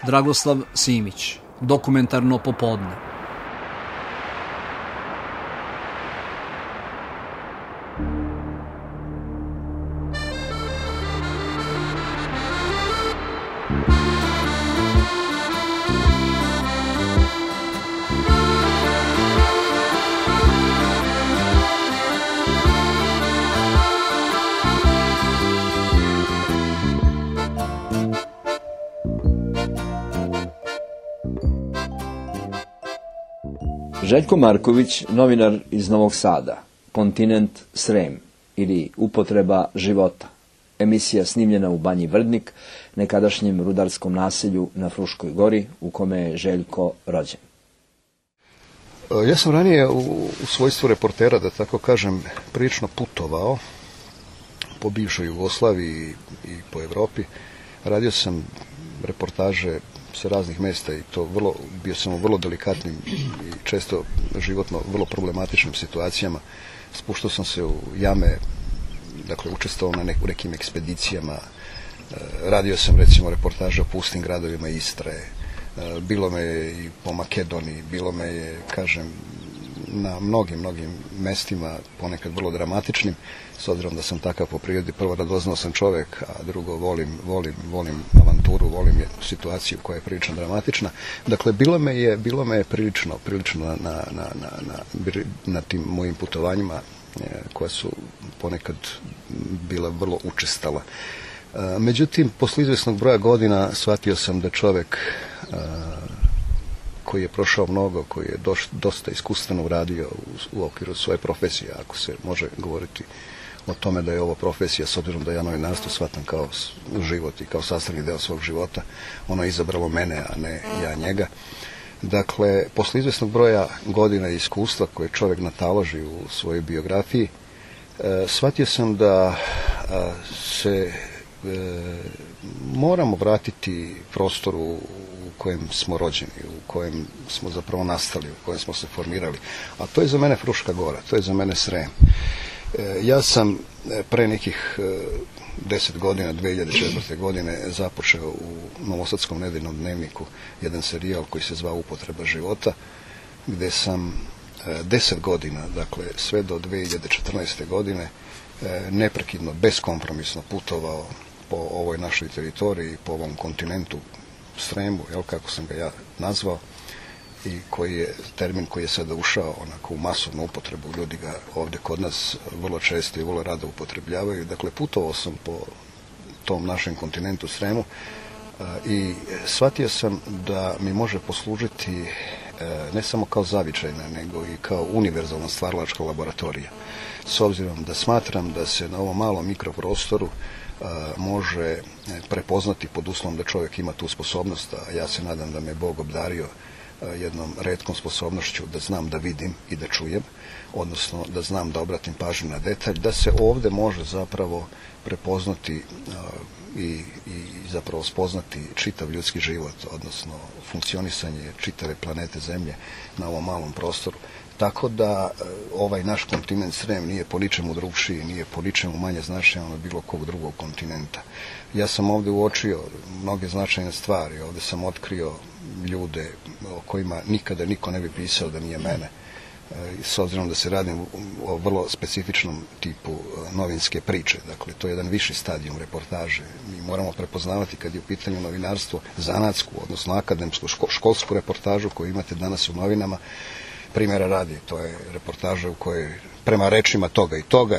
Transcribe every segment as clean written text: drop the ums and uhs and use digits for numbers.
Dragoslav Simić, Dokumentarno popodne. Željko Marković, novinar iz Novog Sada, Kontinent Srem ili Upotreba života. Emisija snimljena u Banji Vrdnik, nekadašnjem rudarskom naselju na Fruškoj gori, u kome je Željko rođen. Ja sam ranije u svojstvu reportera, da tako kažem, prilično putovao po bivšoj Jugoslaviji i po Evropi. Radio sam reportaže sa raznih mjesta i to bio sam u vrlo delikatnim i često životno vrlo problematičnim situacijama. Spuštao sam se u jame, dakle učestvovao na nekim ekspedicijama. Radio sam recimo reportaže o pustim gradovima Istre. Bilo me je i po Makedoniji, bilo me je, kažem, na mnogim mestima, ponekad vrlo dramatičnim, s obzirom da sam takav po prirodi. Prvo, radoznao sam čovjek, a drugo, volim avanturu, volim situaciju koja je prilično dramatična. Dakle, bilo me je prilično na tim mojim putovanjima, koja su ponekad bila vrlo učestala. Međutim, posle izvjesnog broja godina shvatio sam da čovjek koji je prošao mnogo, koji je dosta iskustveno uradio u okviru svoje profesije, ako se može govoriti o tome da je ovo profesija, s obzirom da ja novinarstvo shvatam kao život i kao sastavni deo svog života, ono je izabralo mene, a ne ja njega. Dakle, posle izvjesnog broja godina i iskustva koje čovjek nataloži u svojoj biografiji, shvatio sam da se moramo vratiti prostoru u kojem smo rođeni, u kojem smo zapravo nastali, u kojem smo se formirali. A to je za mene Fruška gora, to je za mene Srem. Ja sam pre nekih 10 godina, 2004. godine, započeo u Novosadskom nedeljnom dnevniku jedan serijal koji se zvao Upotreba života, gde sam 10 godina, dakle sve do 2014. godine, neprekidno, beskompromisno putovao po ovoj našoj teritoriji, po ovom kontinentu Sremu, kako sam ga ja nazvao, i koji je termin koji je sada ušao onako u masovnu upotrebu. Ljudi ga ovdje kod nas vrlo često i vrlo rado upotrebljavaju. Dakle, putovao sam po tom našem kontinentu Sremu i shvatio sam da mi može poslužiti ne samo kao zavičajna, nego i kao univerzalna stvaralačka laboratorija. S obzirom da smatram da se na ovom malom mikroprostoru može prepoznati, pod uslovom da čovjek ima tu sposobnost, a ja se nadam da me Bog obdario jednom retkom sposobnošću da znam da vidim i da čujem, odnosno da znam da obratim pažnju na detalj, da se ovdje može zapravo prepoznati i zapravo spoznati čitav ljudski život, odnosno funkcionisanje čitave planete Zemlje na ovom malom prostoru. Tako da ovaj naš kontinent Srem nije po ničemu drugšiji, nije po ničemu manje značajan od bilo kog drugog kontinenta. Ja sam ovdje uočio mnoge značajne stvari, ovdje sam otkrio ljude o kojima nikada niko ne bi pisao da nije mene. S obzirom da se radi o vrlo specifičnom tipu novinske priče, dakle to je jedan viši stadijum reportaže. Mi moramo prepoznavati kad je u pitanju novinarstvo zanatsku, odnosno akademsku, školsku reportažu koju imate danas u novinama. Primjera radi, to je reportaža u kojoj prema rečima toga i toga,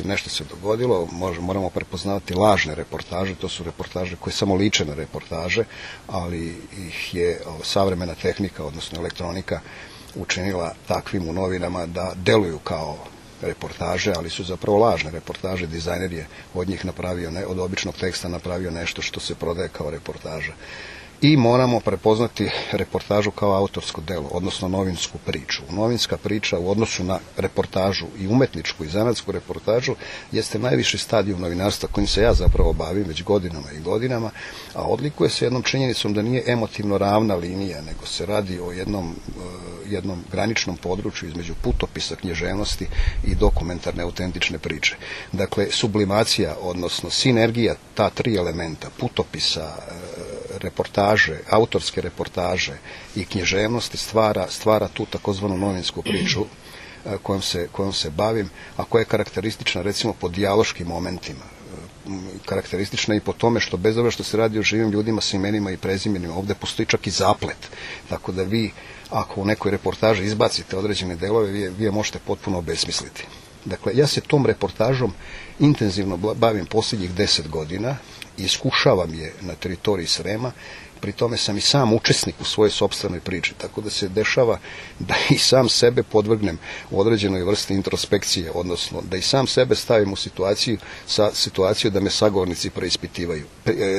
nešto se dogodilo, moramo prepoznavati lažne reportaže, to su reportaže koje samo liče na reportaže, ali ih je savremena tehnika, odnosno elektronika, učinila takvim u novinama da deluju kao reportaže, ali su zapravo lažne reportaže. Dizajner je od njih napravio, od običnog teksta napravio nešto što se prodaje kao reportaža. I moramo prepoznati reportažu kao autorsko delo, odnosno novinsku priču. Novinska priča u odnosu na reportažu i umetničku i zanatsku reportažu jeste najviši stadijum novinarstva kojim se ja zapravo bavim već godinama i godinama, a odlikuje se jednom činjenicom da nije emotivno ravna linija, nego se radi o jednom graničnom području između putopisa, književnosti i dokumentarne autentične priče. Dakle, sublimacija, odnosno sinergija ta tri elementa, putopisa, reportaže, autorske reportaže i književnosti stvara tu takozvanu novinsku priču kojom se bavim, a koja je karakteristična recimo po dijaloškim momentima. Karakteristična i po tome što bez obzira što se radi o živim ljudima sa imenima i prezimenima, ovdje postoji čak i zaplet. Tako da vi, ako u nekoj reportaži izbacite određene delove, vi je možete potpuno obesmisliti. Dakle, ja se tom reportažom intenzivno bavim posljednjih 10 godina i iskušavam je na teritoriji Srema. Pri tome sam i sam učesnik u svojoj sopstvenoj priči, tako da se dešava da i sam sebe podvrgnem u određenoj vrsti introspekcije, odnosno da i sam sebe stavim u situaciju da me sagovornici preispitivaju.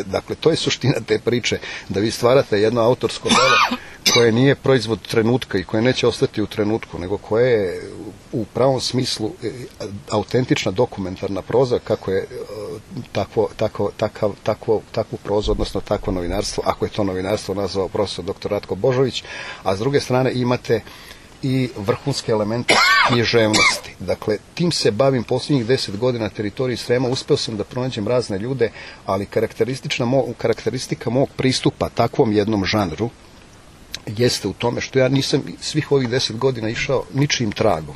Dakle, to je suština te priče, da vi stvarate jedno autorsko delo koje nije proizvod trenutka i koje neće ostati u trenutku, nego koje je u pravom smislu autentična dokumentarna proza, kako je takvu prozu, odnosno takvo novinarstvo, ako je to novinarstvo nazvao profesor dr. Ratko Božović, a s druge strane imate i vrhunske elemente književnosti. Dakle, tim se bavim posljednjih 10 godina na teritoriji Srema. Uspeo sam da pronađem razne ljude, ali karakteristika mog pristupa takvom jednom žanru jeste u tome što ja nisam svih ovih 10 godina išao ničijim tragom.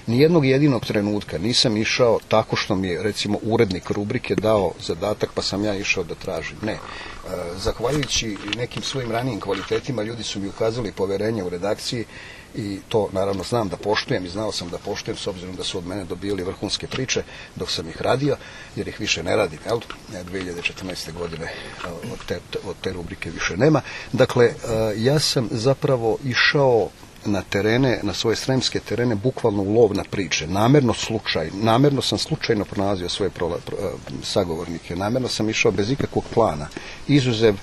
Nijednog jedinog trenutka nisam išao tako što mi je, recimo, urednik rubrike dao zadatak pa sam ja išao da tražim. Ne. Zahvaljujući nekim svojim ranijim kvalitetima, ljudi su mi ukazali poverenje u redakciji i to naravno znam da poštujem i znao sam da poštujem s obzirom da su od mene dobijali vrhunske priče dok sam ih radio, jer ih više ne radim, jel? 2014. godine od te rubrike više nema. Dakle, ja sam zapravo išao na terene, na svoje sremske terene, bukvalno u lov na priče. Namerno sam slučajno pronalazio svoje sagovornike, namerno sam išao bez ikakvog plana, izuzev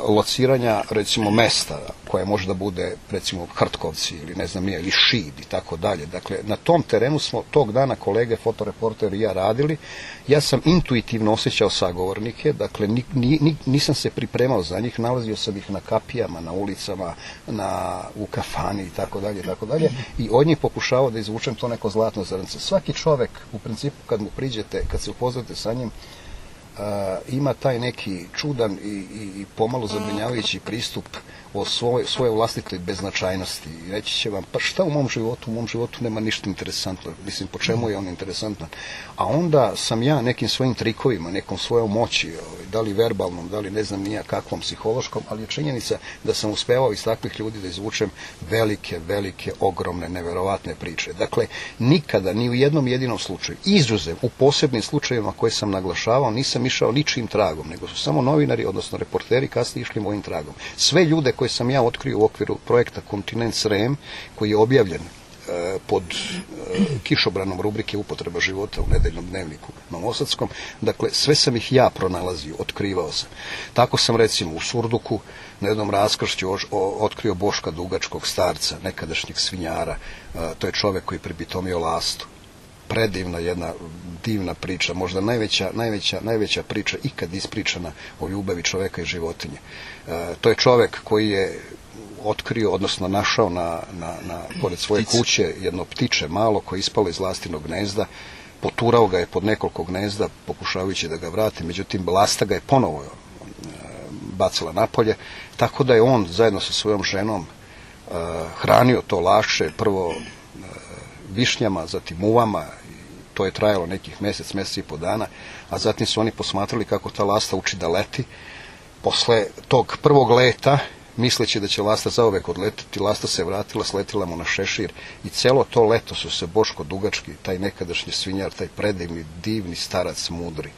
lociranja, recimo, mesta koje može da bude, recimo, Hrtkovci ili ne znam nije, ili Šid i tako dalje. Dakle, na tom terenu smo tog dana kolege, fotoreporter i ja radili. Ja sam intuitivno osjećao sagovornike, dakle, nisam se pripremao za njih, nalazio sam ih na kapijama, na ulicama, u kafani i tako dalje, i od njih pokušavao da izvučem to neko zlatno zrnce. Svaki čovek, u principu, kad mu priđete, kad se upoznate sa njim, ima taj neki čudan i pomalo zabrinjavajući pristup o svoje vlastitoj beznačajnosti. Reći će vam, pa šta u mom životu nema ništa interesantno. Mislim, po čemu je on interesantan? A onda sam ja nekim svojim trikovima, nekom svojom moći, da li verbalnom, da li ne znam nija kakvom psihološkom, ali je činjenica da sam uspevao iz takvih ljudi da izvučem velike, ogromne, neverovatne priče. Dakle, nikada, ni u jednom jedinom slučaju, izuzev u posebnim slučajevima koje sam naglašavao, nisam išao ničijim tragom, nego su samo novinari, odnosno reporteri, kasnije išli mojim tragom. Sve ljude koje sam ja otkrio u okviru projekta Kontinent Srem, koji je objavljen pod kišobranom rubrike Upotreba života u nedeljnom dnevniku novosadskom, dakle, sve sam ih ja pronalazio, otkrivao sam. Tako sam, recimo, u Surduku na jednom raskršću otkrio Boška Dugačkog, starca, nekadašnjeg svinjara. To je čovek koji pribitomio lastu. Predivna jedna divna priča, možda najveća priča ikad ispričana o ljubavi čoveka i životinje. To je čovek koji je otkrio, odnosno našao pored svoje kuće jedno ptiče malo koje je ispalo iz lastinog gnezda, poturao ga je pod nekoliko gnezda pokušavajući da ga vrati, međutim lasta ga je ponovo bacila napolje, tako da je on zajedno sa svojom ženom hranio to lašče, prvo višnjama, zatim uvama. To je trajalo nekih mjesec i po dana, a zatim su oni posmatrali kako ta lasta uči da leti. Posle tog prvog leta, misleći da će lasta zauvek odletiti, lasta se vratila, sletila mu na šešir i celo to leto su se Boško Dugački, taj nekadašnji svinjar, taj predivni, divni starac mudri,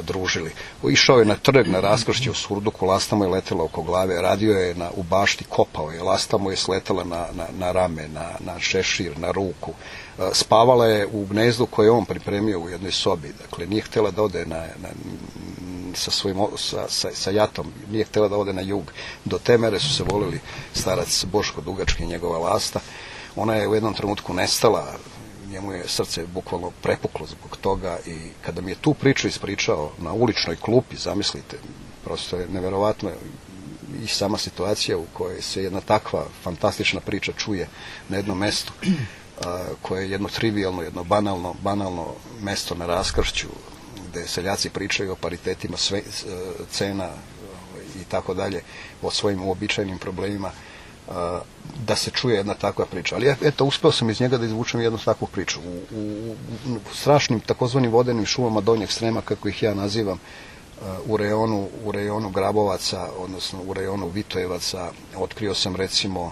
družili. Išao je na trg, na raskršće u Surduku, lasta mu je letela oko glave, radio je u bašti, kopao je, lasta mu je sletela na rame, na šešir, na ruku. Spavala je u gnezdu koje je on pripremio u jednoj sobi. Dakle, nije htjela da ode sa jatom, nije htjela da ode na jug. Do te mere su se volili starac Boško Dugački i njegova lasta. Ona je u jednom trenutku nestala, njemu je srce bukvalno prepuklo zbog toga i kada mi je tu priču ispričao na uličnoj klupi, zamislite, prosto je neverovatno i sama situacija u kojoj se jedna takva fantastična priča čuje na jednom mestu, koje je jedno trivialno, jedno banalno mesto na raskršću, gde seljaci pričaju o paritetima cena i tako dalje, o svojim uobičajenim problemima, da se čuje jedna takva priča. Ali eto, uspeo sam iz njega da izvučem jednu takvu priču. U strašnim takozvanim vodenim šumama Donjeg Srema, kako ih ja nazivam, u rejonu Grabovaca, odnosno u rejonu Vitojevaca, otkrio sam recimo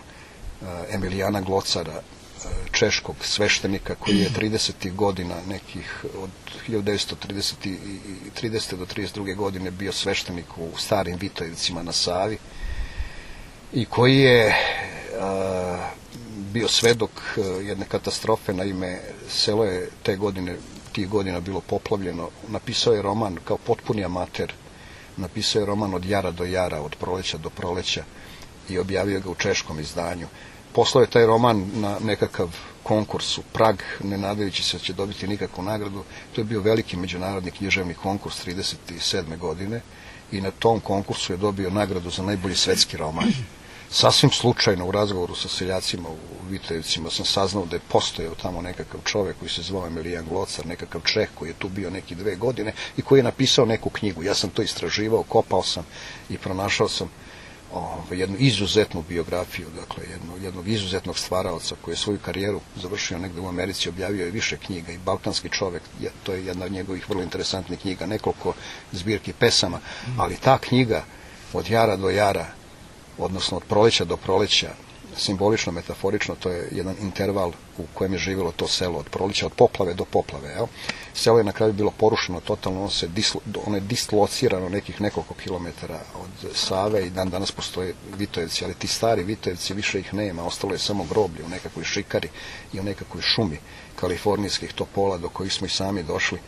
Emilijana Glocara, češkog sveštenika koji je 30. godina, nekih od 1930. do 32. godine bio sveštenik u starim Vitojevcima na Savi i koji je bio svedok jedne katastrofe. Naime, selo je tih godina bilo poplavljeno. Napisao je roman kao potpuni amater, napisao je roman Od jara do jara, od proleća do proleća i objavio ga u češkom izdanju. Poslao je taj roman na nekakav konkurs u Prag, ne nadajući se da će dobiti nikakvu nagradu. To je bio veliki međunarodni književni konkurs 1937. godine i na tom konkursu je dobio nagradu za najbolji svetski roman. Sasvim slučajno u razgovoru sa seljacima u Vitojevcima sam saznao da je postojao tamo nekakav čovek koji se zvao Emilijan Glocar, nekakav Čeh koji je tu bio neki 2 godine i koji je napisao neku knjigu. Ja sam to istraživao, kopao sam i pronašao sam jednu izuzetnu biografiju, dakle jednog izuzetnog stvaraoca koji je svoju karijeru završio negde u Americi, objavio je više knjiga i Balkanski čovek, to je jedna od njegovih vrlo interesantnih knjiga, nekoliko zbirki pesama, ali ta knjiga Od jara do jara, odnosno od proleća do proleća, simbolično, metaforično, to je jedan interval u kojem je živjelo to selo, od proleća, od poplave do poplave. Jel? Selo je na kraju bilo porušeno totalno, ono je dislocirano nekih nekoliko kilometara od Save i danas postoje Vitojevci, ali ti stari Vitojevci više ih nema, ostalo je samo groblje u nekakvoj šikari i u nekakvoj šumi kalifornijskih topola do kojih smo i sami došli.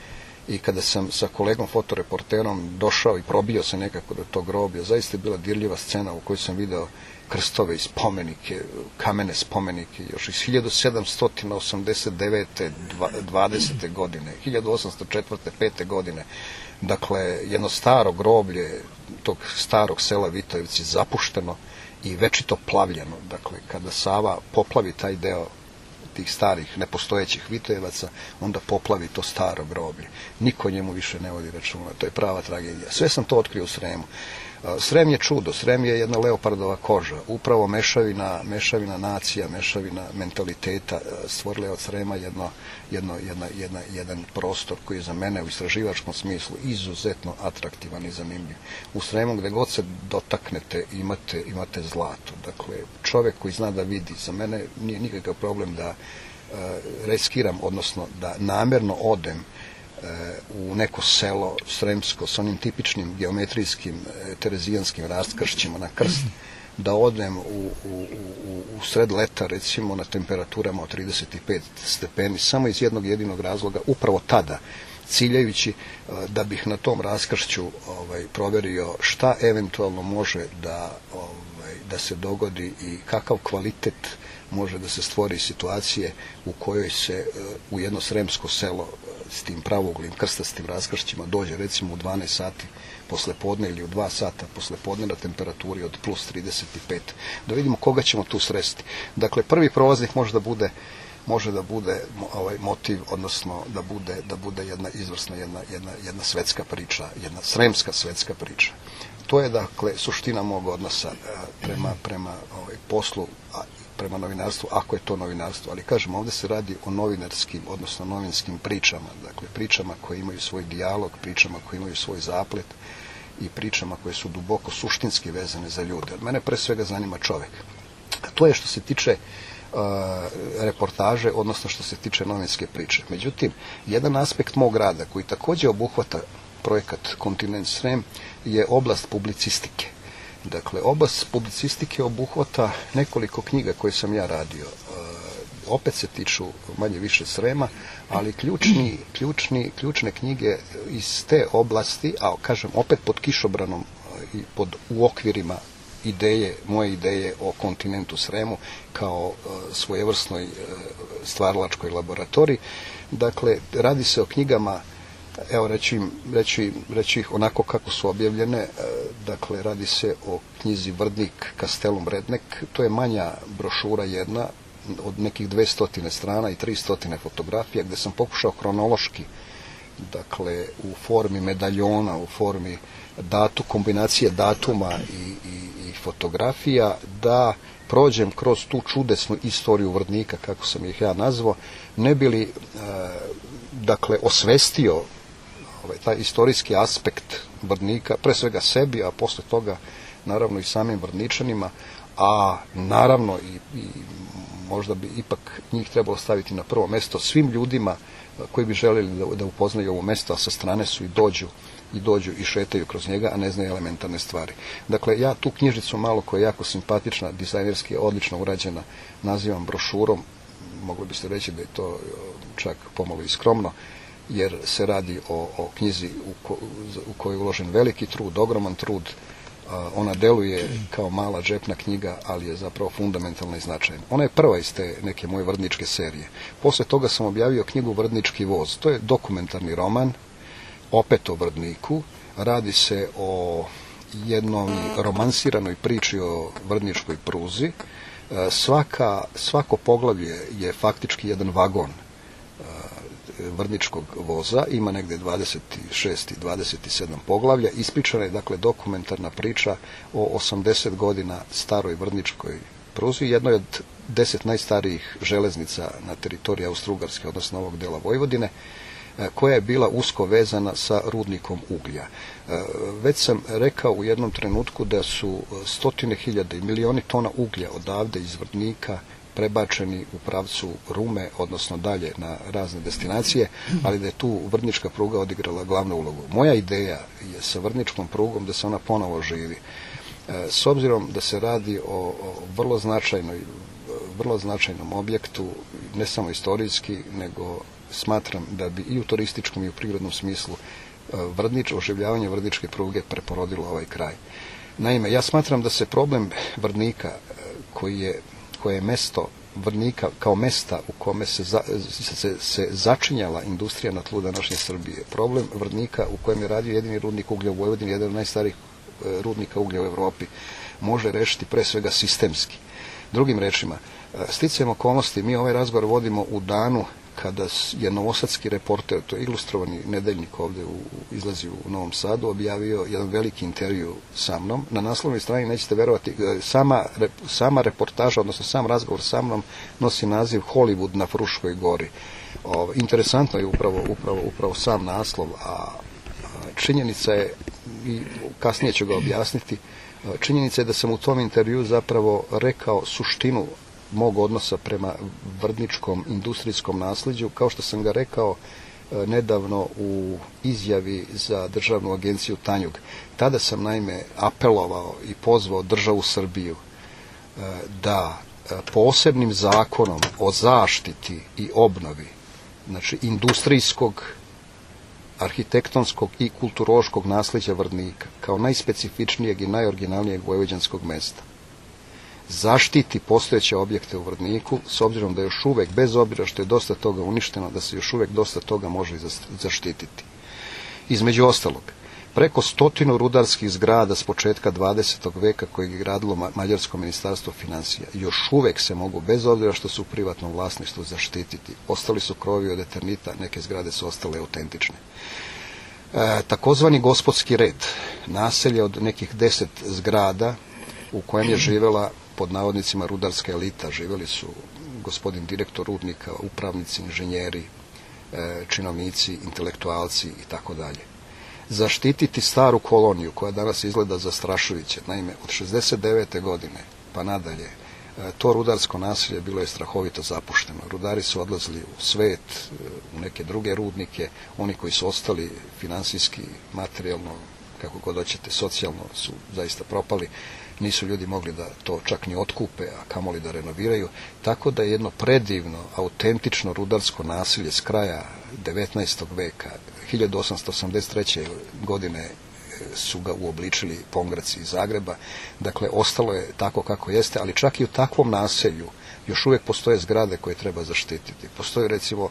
I kada sam sa kolegom fotoreporterom došao i probio se nekako do tog groblja, zaista je bila dirljiva scena u kojoj sam video krstove i spomenike, kamene spomenike, još iz 1789. 20. godine, 1804. 5. godine. Dakle, jedno staro groblje tog starog sela Vitojevci, zapušteno i večito plavljeno. Dakle, kada Sava poplavi taj deo tih starih, nepostojećih Vitojevaca, onda poplavi to staro groblje. Niko njemu više ne vodi računa. To je prava tragedija. Sve sam to otkrio u Sremu. Srem je čudo, Srem je jedna leopardova koža, upravo mešavina nacija, mešavina mentaliteta stvorila je od Srema jedan prostor koji je za mene u istraživačkom smislu izuzetno atraktivan i zanimljiv. U Sremu gde god se dotaknete imate zlato. Dakle, čovek koji zna da vidi, za mene nije nikakav problem da riskiram, odnosno da namerno odem u neko selo sremsko sa onim tipičnim geometrijskim terezijanskim raskršćima na krst, da odem u sred leta recimo na temperaturama od 35 stepeni samo iz jednog jedinog razloga, upravo tada ciljajući da bih na tom raskršću proverio šta eventualno može da se dogodi i kakav kvalitet može da se stvori situacije u kojoj se u jedno sremsko selo s tim pravoglim krstastim raskršćima dođe recimo u 12 sati posle podne ili u 2 sata posle podne na temperaturi od plus 35. Da vidimo koga ćemo tu sresti. Dakle, prvi prolaznik može da bude motiv, odnosno da bude jedna izvrsna, jedna svetska priča, jedna sremska svetska priča. To je, dakle, suština mog odnosa prema poslu, prema novinarstvu, ako je to novinarstvo. Ali kažem, ovdje se radi o novinarskim, odnosno novinskim pričama. Dakle, pričama koje imaju svoj dijalog, pričama koje imaju svoj zaplet i pričama koje su duboko suštinski vezane za ljude. Od mene pre svega zanima čovek. To je što se tiče reportaže, odnosno što se tiče novinske priče. Međutim, jedan aspekt mog rada koji također obuhvata projekat Kontinent Srem je oblast publicistike. Dakle, oblast publicistike obuhvata nekoliko knjiga koje sam ja radio. Opet se tiču manje više Srema, ali ključne knjige iz te oblasti, a kažem opet pod kišobranom i u okvirima moje ideje o kontinentu Sremu kao svojevrsnoj stvaralačkoj laboratoriji. Dakle, radi se o knjigama, evo reći ih onako kako su objavljene. Dakle, radi se o knjizi Vrdnik Kastelum Rednek. To je manja brošura jedna od nekih 200 strana i 300 fotografija, gde sam pokušao hronološki dakle u formi medaljona, u formi kombinacije datuma i fotografija, da prođem kroz tu čudesnu istoriju Vrdnika, kako sam ih ja nazvao, ne bi li dakle osvestio taj istorijski aspekt Vrdnika, pre svega sebi, a posle toga naravno i samim Vrdničanima, a naravno i možda bi ipak njih trebalo staviti na prvo mesto, svim ljudima koji bi željeli da upoznaju ovo mesto, a sa strane su i dođu i šetaju kroz njega, a ne znaju elementarne stvari. Dakle, ja tu knjižicu malo, koja je jako simpatična, dizajnerski je odlično urađena, nazivam brošurom. Mogli biste reći da je to čak pomalo i skromno, jer se radi o knjizi u kojoj je uložen veliki trud, ogroman trud. Ona deluje kao mala džepna knjiga, ali je zapravo fundamentalna i značajna. Ona je prva iz te neke moje vrdničke serije. Posle toga sam objavio knjigu Vrdnički voz. To je dokumentarni roman, opet o Vrdniku. Radi se o jednoj romansiranoj priči o vrdničkoj pruzi. Svako poglavlje je faktički jedan vagon vrdničkog voza, ima negde 26 i 27 poglavlja. Ispričana je dakle dokumentarna priča o 80 godina staroj vrdničkoj pruzi, jednoj od 10 najstarijih železnica na teritoriji Austro-Ugarske, odnosno ovog dela Vojvodine, koja je bila usko vezana sa rudnikom uglja. Već sam rekao u jednom trenutku da su stotine hiljada i milioni tona uglja odavde iz Vrdnika prebačeni u pravcu Rume, odnosno dalje na razne destinacije, ali da je tu vrdnička pruga odigrala glavnu ulogu. Moja ideja je sa vrdničkom prugom da se ona ponovo živi. S obzirom da se radi o vrlo značajnom objektu, ne samo istorijski, nego smatram da bi i u turističkom i u prirodnom smislu oživljavanje vrdničke pruge preporodilo ovaj kraj. Naime, ja smatram da se problem Vrdnika, koje je mesto Vrdnika kao mesta u kome se začinjala industrija na tlu današnje Srbije, problem Vrdnika u kojem je radio jedini rudnik uglja u Vojvodini, jedan od najstarijih rudnika uglja u Evropi, može rešiti pre svega sistemski. Drugim rečima, sticajem okolnosti, mi ovaj razgovor vodimo u danu kada je novosadski reporter, to je ilustrovani nedeljnik ovde izlazi u Novom Sadu, objavio jedan veliki intervju sa mnom. Na naslovnoj strani, nećete verovati, sama reportaža, odnosno sam razgovor sa mnom nosi naziv Hollywood na Fruškoj gori. Interesantno je upravo sam naslov, a činjenica je, i kasnije ću ga objasniti, činjenica je da sam u tom intervju zapravo rekao suštinu mog odnosa prema vrdničkom industrijskom nasleđu, kao što sam ga rekao nedavno u izjavi za državnu agenciju Tanjug. Tada sam naime apelovao i pozvao državu Srbiju da posebnim zakonom o zaštiti i obnovi, znači industrijskog, arhitektonskog i kulturološkog nasleđa Vrdnika, kao najspecifičnijeg i najoriginalnijeg vojvođanskog mesta, zaštiti postojeće objekte u Vrdniku, s obzirom da još uvek, bez obzira što je dosta toga uništeno, da se još uvek dosta toga može i zaštititi. Između ostalog, preko 100 rudarskih zgrada s početka 20. veka koje je gradilo Mađarsko ministarstvo finansija još uvek se mogu, bez obzira što su u privatnom vlasništvu, zaštititi. Ostali su krovovi od eternita, neke zgrade su ostale autentične. Takozvani gospodski red, naselje od nekih 10 zgrada u kojem je živela, pod navodnicima, rudarska elita. Živeli su gospodin direktor rudnika, upravnici, inženjeri, činovnici, intelektualci i tako dalje. Zaštititi staru koloniju koja danas izgleda zastrašujuće. Naime, od 69. godine pa nadalje to rudarsko naselje bilo je strahovito zapušteno. Rudari su odlazili u svet, u neke druge rudnike. Oni koji su ostali finansijski, materijalno, kako god hoćete, socijalno su zaista propali. Nisu ljudi mogli da to čak ni otkupe, a kamoli da renoviraju. Tako da je jedno predivno, autentično rudarsko naselje s kraja 19. veka, 1883. godine su ga uobličili Pongraci iz Zagreba. Dakle, ostalo je tako kako jeste, ali čak i u takvom naselju još uvijek postoje zgrade koje treba zaštititi. Postoji recimo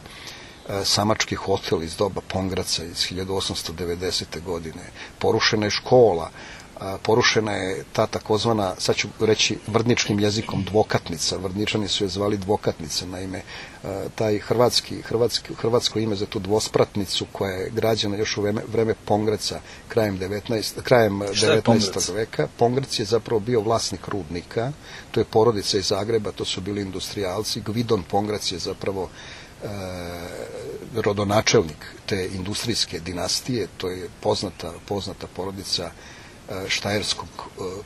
samački hotel iz doba Pongraca iz 1890. godine. Porušena je škola porušena je ta takozvana, sad ću reći vrdničkim jezikom, dvokatnica. Vrdničani su je zvali dvokatnica, naime taj hrvatsko ime za tu dvospratnicu koja je građena još u vreme Pongreca krajem 19. veka. Pongrec je zapravo bio vlasnik rudnika, to je porodica iz Zagreba, to su bili industrijalci. Gvidon Pongrec je zapravo rodonačelnik te industrijske dinastije, to je poznata porodica štajerskog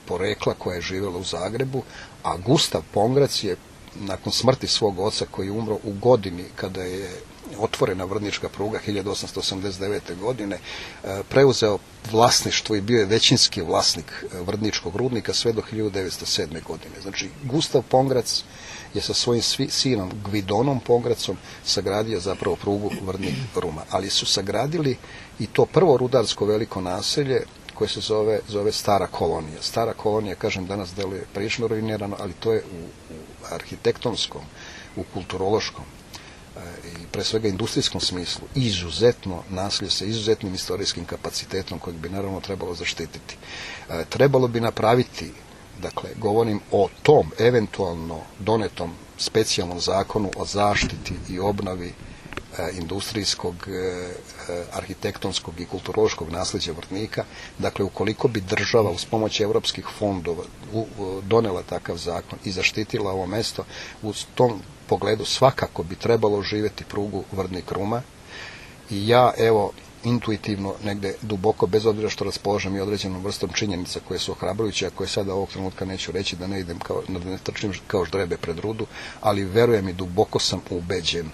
porekla koja je živjela u Zagrebu, a Gustav Pongrac je nakon smrti svog oca koji je umro u godini kada je otvorena vrdnička pruga 1889. godine, preuzeo vlasništvo i bio je većinski vlasnik vrdničkog rudnika sve do 1907. godine. Znači, Gustav Pongrac je sa svojim sinom Gvidonom Pongracom sagradio zapravo prugu Vrdnik-Ruma. Ali su sagradili i to prvo rudarsko veliko naselje koje se zove Stara Kolonija. Stara Kolonija, kažem, danas deluje prilično ruinirano, ali to je u arhitektonskom, u kulturološkom i pre svega industrijskom smislu izuzetno naselje sa izuzetnim istorijskim kapacitetom kojeg bi naravno trebalo zaštititi. Trebalo bi napraviti, dakle, govorim o tom eventualno donetom specijalnom zakonu o zaštiti i obnovi industrijskog, arhitektonskog i kulturološkog nasljeđa Vrdnika. Dakle, ukoliko bi država uz pomoć europskih fondova donela takav zakon i zaštitila ovo mesto, u tom pogledu svakako bi trebalo živjeti prugu Vrdnik-Ruma. I ja, evo, intuitivno, negde duboko, bez obzira što raspolažem i određenom vrstom činjenica koje su ohrabrujuće, a koje sada ovog trenutka neću reći da ne idem da ne trčim kao ždrebe pred rudu, ali verujem i duboko sam ubeđen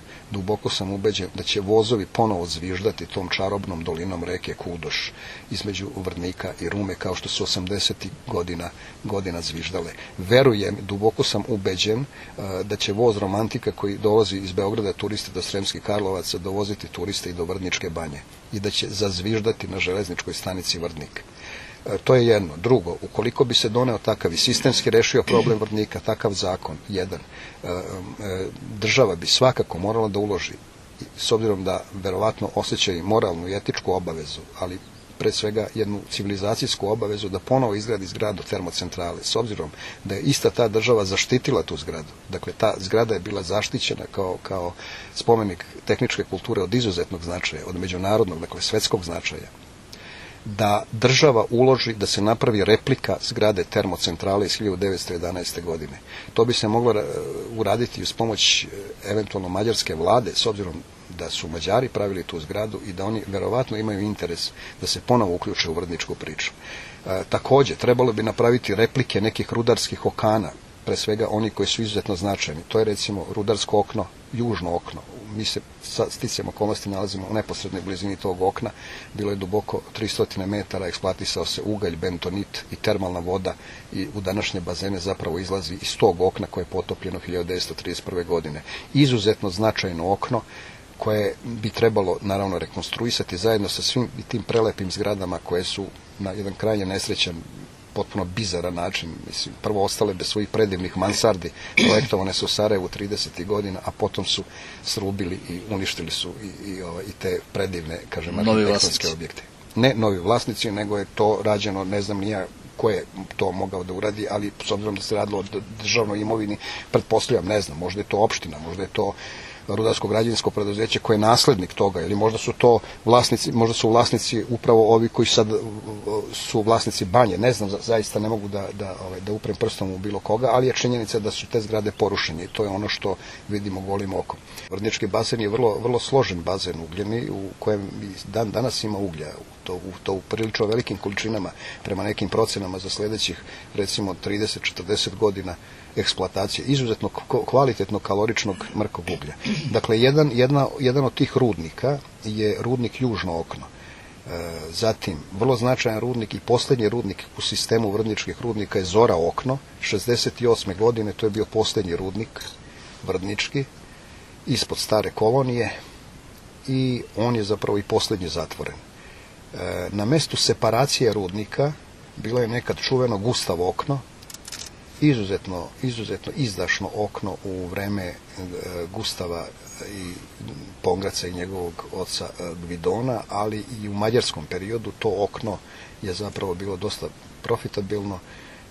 da će vozovi ponovo zviždati tom čarobnom dolinom reke Kudoš između Vrdnika i Rume kao što su 80. godina zviždale. Verujem, duboko sam ubeđen da će voz romantika koji dolazi iz Beograda turiste do Sremskih Karlovaca dovoziti turiste i do Vrdničke banje i da će zazviždati na železničkoj stanici Vrdnik. To je jedno. Drugo, ukoliko bi se doneo takav i sistemski rešio problem Vrdnika, takav zakon, jedan, država bi svakako morala da uloži, s obzirom da verovatno osjećaju moralnu i etičku obavezu, ali pre svega jednu civilizacijsku obavezu da ponovo izgradi zgradu termocentrale, s obzirom da je ista ta država zaštitila tu zgradu. Dakle, ta zgrada je bila zaštićena kao spomenik tehničke kulture od izuzetnog značaja, od međunarodnog, dakle svetskog značaja. Da država uloži da se napravi replika zgrade termocentrale iz 1911. godine. To bi se moglo uraditi uz pomoć eventualno mađarske vlade, s obzirom da su Mađari pravili tu zgradu i da oni verovatno imaju interes da se ponovo uključe u vrdničku priču. Također, trebalo bi napraviti replike nekih rudarskih okana, pre svega oni koji su izuzetno značajni. To je recimo rudarsko okno, južno okno. Mi se sa sticajem okolnosti nalazimo u neposrednoj blizini tog okna. Bilo je duboko 300 metara, eksploatisao se ugalj, bentonit i termalna voda i u današnje bazene zapravo izlazi iz tog okna koje je potopljeno 1931. godine. Izuzetno značajno okno koje bi trebalo naravno rekonstruisati zajedno sa svim tim prelepim zgradama koje su na jedan krajnje nesrećan, potpuno bizaran način, mislim, prvo ostale bez svojih predivnih mansardi, projektovane su u Sarajevu 30. godina, a potom su srubili i uništili su i te predivne, kažem, arhitektonske objekte. Ne novi vlasnici, nego je to rađeno, ne znam ni ja ko je to mogao da uradi, ali s obzirom da se radilo o državnoj imovini, pretpostavljam, ne znam, možda je to opština, možda je to rudarsko-građevinsko preduzeće koje je naslednik toga, ili možda su to vlasnici, možda su vlasnici upravo ovi koji sad su vlasnici banje, ne znam, zaista ne mogu da uprem prstom u bilo koga, ali je činjenica da su te zgrade porušene i to je ono što vidimo golim okom. Vrdnički bazen je vrlo složen bazen ugljeni u kojem danas ima uglja, to u prilično velikim količinama, prema nekim procenama za sljedećih recimo 30-40 godina eksploatacije izuzetno kvalitetno kaloričnog mrkog uglja. Dakle, jedan od tih rudnika je rudnik Južno okno. Zatim, vrlo značajan rudnik i posljednji rudnik u sistemu vrdničkih rudnika je Zora okno. 68. godine to je bio posljednji rudnik vrdnički ispod Stare Kolonije i on je zapravo i posljednji zatvoren. Na mestu separacije rudnika bilo je nekad čuveno Gustav okno, izuzetno izdašno okno u vreme Gustava i Pongraca i njegovog oca Gvidona, ali i u mađarskom periodu to okno je zapravo bilo dosta profitabilno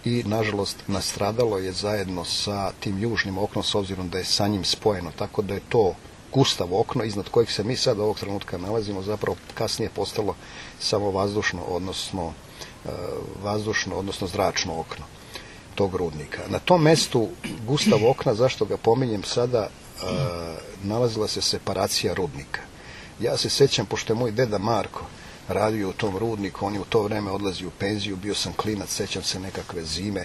i nažalost nastradalo je zajedno sa tim južnim oknom s obzirom da je sa njim spojeno, tako da je to gustavo okno iznad kojeg se mi sad ovog trenutka nalazimo zapravo kasnije postalo samo vazdušno, odnosno zračno okno tog rudnika. Na tom mestu gustavo okna, zašto ga pominjem sada, nalazila se separacija rudnika. Ja se sjećam, pošto je moj deda Marko radio u tom rudniku, on je u to vreme odlazio u penziju, bio sam klinac, sjećam se nekakve zime,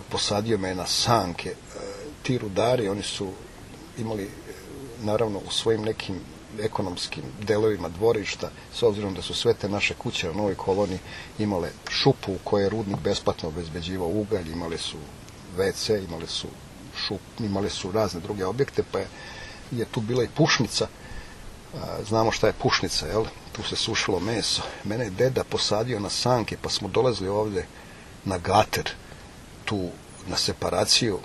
posadio me na sanke. Ti rudari, oni su imali, naravno, u svojim nekim ekonomskim delovima dvorišta, s obzirom da su sve te naše kuće u Novoj koloniji imale šupu u kojoj je rudnik besplatno obezbeđivao ugalj, imali su WC, imali su razne druge objekte, pa je tu bila i pušnica. Znamo šta je pušnica, jel? Tu se sušilo meso. Mene je deda posadio na sanke, pa smo dolazili ovdje na gater, tu na separaciju,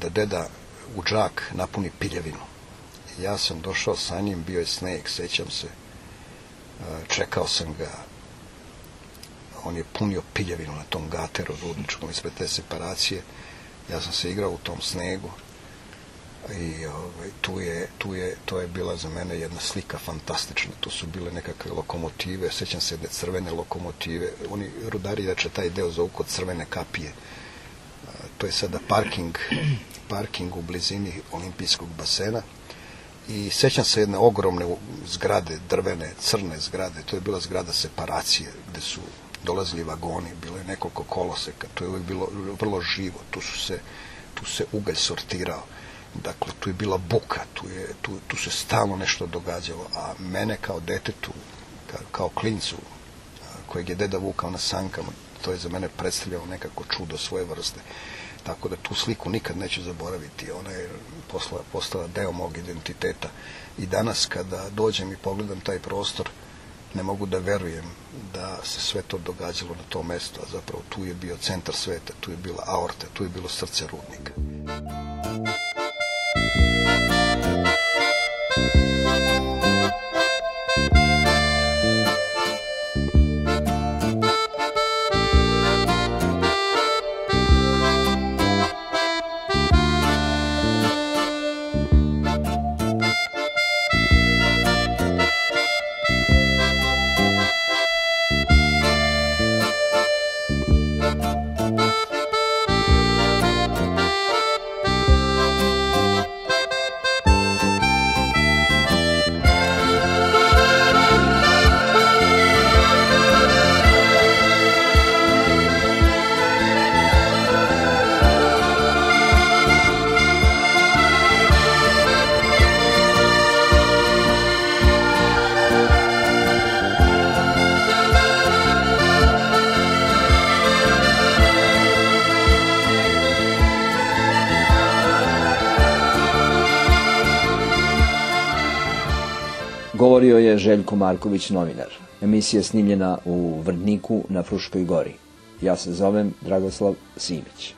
da deda u džak napuni piljevinu. Ja sam došao sa njim, bio je sneg, sjećam se, čekao sam ga, on je punio piljevinu na tom gateru rudničkom ispred te separacije, ja sam se igrao u tom snegu i to je bila za mene jedna slika fantastična, tu su bile nekakve lokomotive, sjećam se jedne crvene lokomotive, oni rudari inače taj deo zovu kod Crvene kapije, to je sada parking u blizini olimpijskog basena. I sjećam se jedne ogromne zgrade, drvene, crne zgrade, to je bila zgrada separacije, gdje su dolazili vagoni, bilo je nekoliko koloseka, to je uvijek bilo vrlo živo, tu se ugalj sortirao, dakle, tu je bila buka, tu se stalno nešto događalo, a mene kao detetu, kao klincu, kojeg je deda vukao na sankama, to je za mene predstavljalo nekako čudo svoje vrste. Tako da tu sliku nikad neću zaboraviti. Ona je postala deo mog identiteta. I danas kada dođem i pogledam taj prostor, ne mogu da verujem da se sve to događalo na tom mjestu, a zapravo tu je bio centar sveta, tu je bila aorta, tu je bilo srce rudnika. Govorio je Željko Marković, novinar. Emisija je snimljena u Vrdniku na Fruškoj gori. Ja se zovem Dragoslav Simić.